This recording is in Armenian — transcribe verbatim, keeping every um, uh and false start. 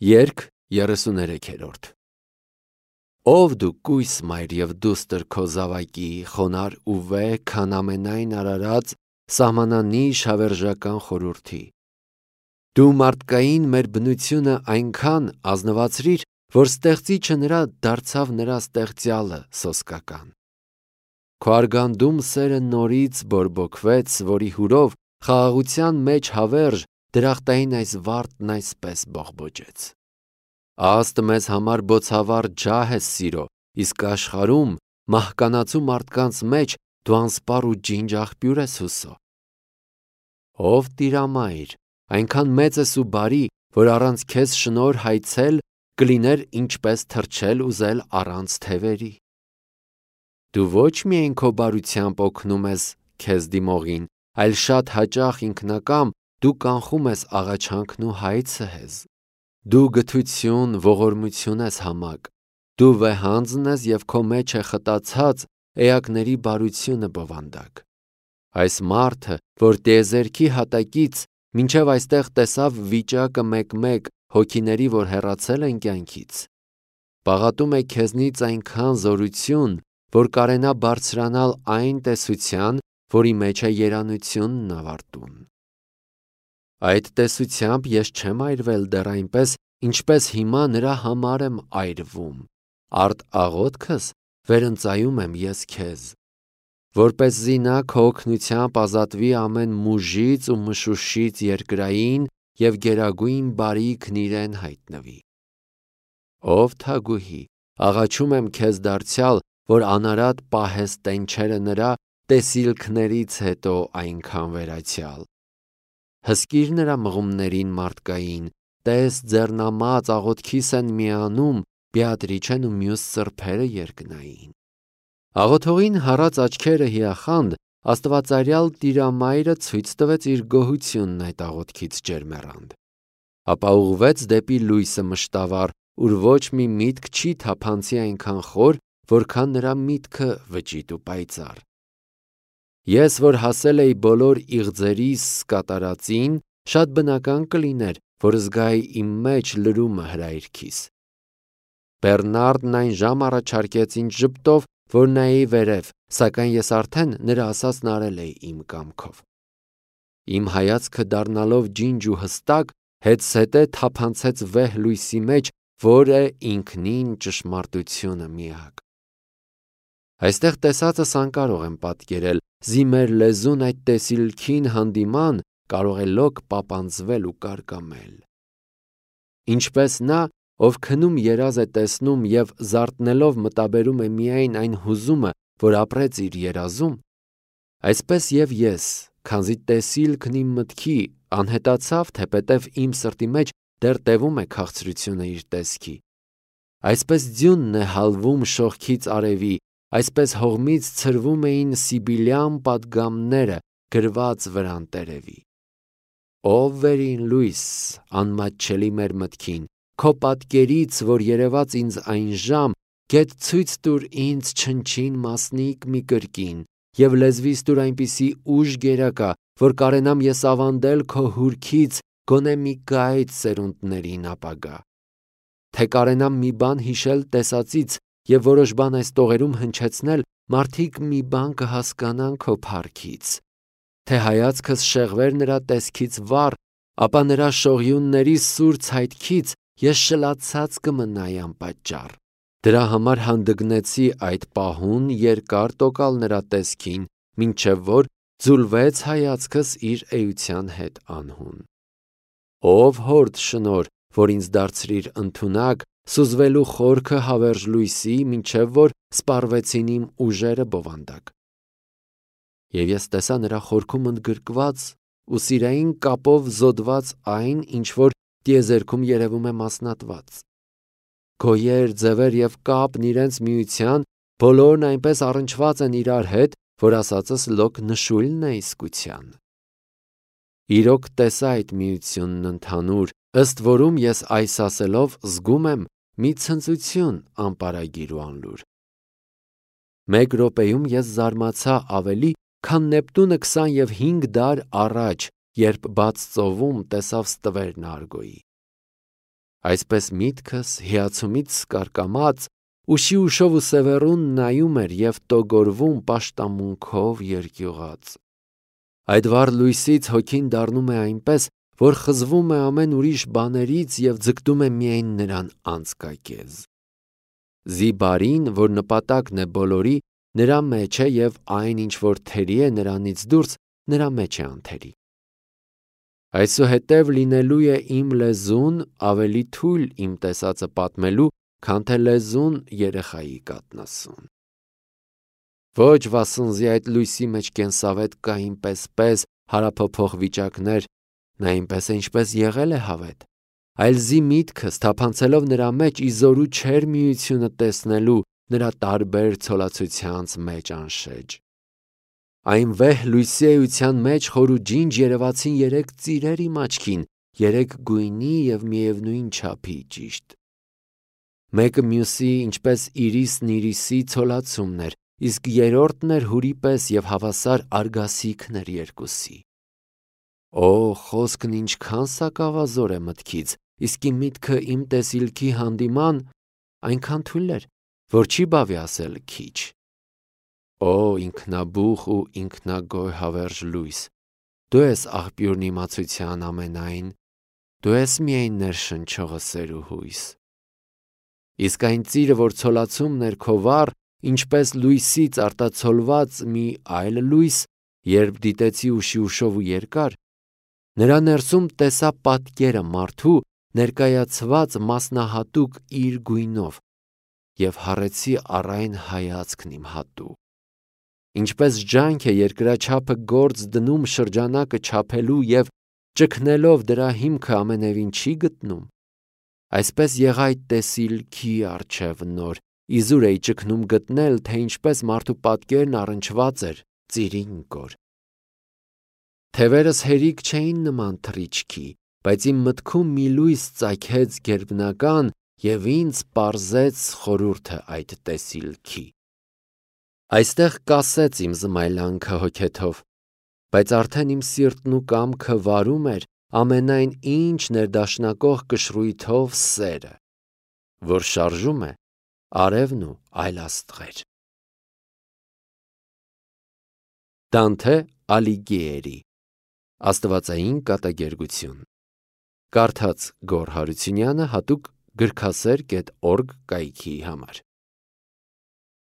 Երգ երեսուներեքերորդ Ով դու կույս մայր և դուստր քո զավակի, խոնար ու վեհ, քան ամենայն արարած, սահմանանիշ հավերժական խորհրդի։ Դու մարդկային մեր բնությունը այնքան ազնվացրիր, որ ստեղծիչը նրա դարձավ նրա ստեղծյալը սոսկական։ Քո արգանդում սերը նորից բորբոքվեց, որի հուրով խաղաղության մեջ հավերժ դրախտային այս վարդն այսպես բողբոջեց. Աստ մեզ համար բոցավառ ջահ ես սիրո, իսկ աշխարհում մահկանացու մարդկանց մեջ դու անսպառ ու ջինջ աղբյուր ես հուսո։ Ով տիրամայր, այնքան մեծ ես ու բարի, որ առանց քեզ շնորհ հայցել կլիներ ինչպես թռչել ուզել առանց թևերի։ Դու ոչ միայն քո բարությամբ օգնում ես քեզ դիմողին, այլ շատ հաճախ ինքնակամ դու կանխում ես աղաչանքն ու հայցը հեզ։ Դու գթություն, ողորմություն ես համակ, դու վեհանձն ես և քո մեջ է խտացած էակների բարությունը բովանդակ։ Այս մարդը, որ տիեզերքի հատակից մինչև այստեղ տեսավ վիճակը մեկ-մեկ հոգիների, որ հեռացել են կյանքից, պաղատում է քեզնից այնքան զորություն, որ կարենա բարձրանալ այն տեսության, որի մեջ է երանությունն ավարտուն։ Այդ տեսությամբ ես չեմ այրվել դեռ այնպես, ինչպես հիմա նրա համար եմ այրվում, արդ աղոթքս վերընծայում եմ ես քեզ, որպեսզի նա քո օգնությամբ ազատվի ամեն մուժից ու մշուշից երկրային և գերագույն բարիքն իրեն հայտնվի։ Ով թագուհի, աղաչում եմ քեզ դարձյալ, որ անարատ պահես տենչերը նրա տեսիլքներից հետո այնքան վերացյալ։ Հսկիր նրա մղումներին մարդկային, տես ձեռնամած աղոթքիս են միանում Բեատրիչեն ու մյուս սրբերը երկնային։ Աղոթողին հառած աչքերը հիախանդ, աստվածարյալ Տիրամայրը ցույց տվեց իր գոհությունն այդ աղոթքից ջերմեռանդ, ապա ուղղվեց դեպի լույսը մշտավառ, ուր ոչ մի միտք չի թափանցի այնքան խոր, որքան նրա միտքը վճիտ ու պայծառ։ Ես, որ հասել էի բոլոր իղձերիս կատարածին, շատ բնական կլիներ, որ զգայի իմ մեջ լրումը հրայրքիս։ Բեռնարդն այն ժամ առաջարկեց ինձ ժպտով, որ նայեի վերև, սակայն ես արդեն նրա ասածն արել էի իմ կամքով։ Իմ հայացքը դառնալով ջինջ ու հստակ, հետզհետե թափանցեց վեհ լույսի մեջ, որ է ինքնին ճշմարտությունը միակ։ Այստեղ տեսածս անկարող եմ պատկերել, զի մեր լեզուն այդ տեսիլքին հանդիման կարող է լոկ պապանձվել ու կարկամել։ Ինչպես նա, ով քնում երազ է տեսնում և զարթնելով մտաբերում է միայն այն հուզումը, որ ապրեց իր երազում, այսպես և ես, քանզի տեսիլքն իմ մտքի անհետացավ, թեպետև իմ սրտի մեջ դեռ տևում է քաղցրությունը իր տեսքի, այսպես ձյունն է հալվում շողքից արևի, այսպես հողմից ցրվում էին սիբիլյան պատգամները գրված վրան տերևի։ Ով վերին լույս, անմատչելի մեր մտքին, քո պատկերից, որ երևաց ինձ այն ժամ, գեթ ցույց տուր ինձ չնչին մասնիկ մի կրկին, և լեզվիս տուր այնպիսի ուժ գերակա, որ կարենամ ես ավանդել քո հուրքից գոնե մի կայծ սերունդներին ապագա, թե կարենամ մի բան հիշել տեսածից և որոշ բան այս տողերում հնչեցնել, մարդիկ մի բան կհասկանան քո փառքից, թե հայացքս շեղվեր նրա տեսքից վառ, ապա նրա շողյունների սուր ցայտքից ես շլացած կմնայի անպատճառ։ Դրա համար հանդգնեցի այդ պահուն երկար տոկալ նրա տեսքին, մինչև որ ձուլվեց հայացքս իր էության հետ անհուն։ Ով հորդ շնորհ, որ ինձ դարձրիր ընդունակ, սուզվելու խորքը հավերժ լույսի, մինչև որ սպառվեցին իմ ուժերը բովանդակ։ Եվ ես տեսա նրա խորքում ընդգրկված ու սիրային կապով զոդված այն, ինչ որ տիեզերքում երևում է մասնատված։ Գոյեր, ձևեր և կապն իրենց միության, բոլորն այնպես առնչված են իրար հետ, որ ասածս լոկ նշույլն է իսկության։ Իրոք տեսա այդ միությունն ընդհանուր, ըստ որում ես այս ասելով զգում եմ մի ցնծություն անպարագիր ու անլուր։ Մեկ րոպեում ես զարմացա ավելի, քան Նեպտունը քսանհինգ դար առաջ, երբ բաց ծովում տեսավ ստվերն Արգոյի։ Այսպես միտքս հիացումից սկարկամած ուշի ուշով ու սևեռուն նայում էր և տոգորվում պաշտամունքով երկյուղած։ Այդ վառ լույսից հոգին դառնում է այնպես, որ խզվում է ամեն ուրիշ բաներից և ձգտում է միայն նրան անցկակեզ։ Զի բարին, որ նպատակն է բոլորի, նրա մեջ է և այն, ինչ որ թերի է նրանից դուրս, նրա մեջ է անթերի։ Այսուհետև լինելու է իմ լեզուն ավելի թույլ իմ տեսածը պատմելու, քան թե լեզուն երեխայի կաթնասուն։ Ոչ վասնզի այդ լույսի մեջ կենսավետ կային պես-պես հարափոփող վիճակներ, նա այնպես է ինչպես եղել է հավետ, այլ զի միտքս թափանցելով նրա մեջ ի զորու չէր միությունը տեսնելու նրա տարբեր ցոլացությանց մեջ անշեջ։ Այն վեհ լույսի էության մեջ խոր ու ջինջ երևացին երեք ծիրեր իմ աչքին, երեք գույնի և միևնույն չափի ճիշտ։ Մեկը մյուսի ինչպես իրիսն իրիսի ցոլացումն էր, իսկ երրորդն էր հուրի պես և հավասար արգասիքն էր երկուսի։ Օ, խոսքն ինչքան սակավազոր է մտքից, իսկ իմ միտքը իմ տեսիլքի հանդիման այնքան թույլ էր, որ չի բավի ասել քիչ։ Օ, ինքնաբուխ ու ինքնագոյ հավերժ լույս, դու ես աղբյուրն իմացության ամենայն, դու ես միայն ներշնչողը սեր ու հույս։ Իսկ այն ծիրը, որ ցոլացումն էր քո վառ, ինչպես լույսից արտացոլված մի այլ լույս, երբ դիտեցի ուշի ուշով ու երկար, նրա ներսում տեսա պատկերը մարդու, ներկայացված մասնահատուկ իր գույնով, և հառեցի առ այն հայացքն իմ հատուկ։ Ինչպես ջանք է երկրաչափը գործ դնում շրջանակը չափելու և ճգնելով դրա հիմքը ամենևին չի գտնում, այսպես եղա այդ տեսիլքի առջև նոր, իզուր էի ճգնում գտնել, թե ինչպես մարդու պատկերն առնչված էր ծիրին կոր։ Թևերս հերիք չէին նման թռիչքի, բայց իմ մտքում մի լույս ծագեց գերբնական և ինձ պարզեց խորհուրդը այդ տեսիլքի։ Այստեղ կասեց իմ զմայլանքը հոգեթով, բայց արդեն իմ սիրտն ու կամքը վարում էր ամենայն ինչ ներդաշնակող կշռույթով սերը, որ շարժում է արևն ու այլաստղեր։ Դանթե Ալիգիերի Աստվածային կատակերգություն Կարդաց Գոռ Հարությունյանը հատուկ գրքասեր կետ օրգ կայքի համար։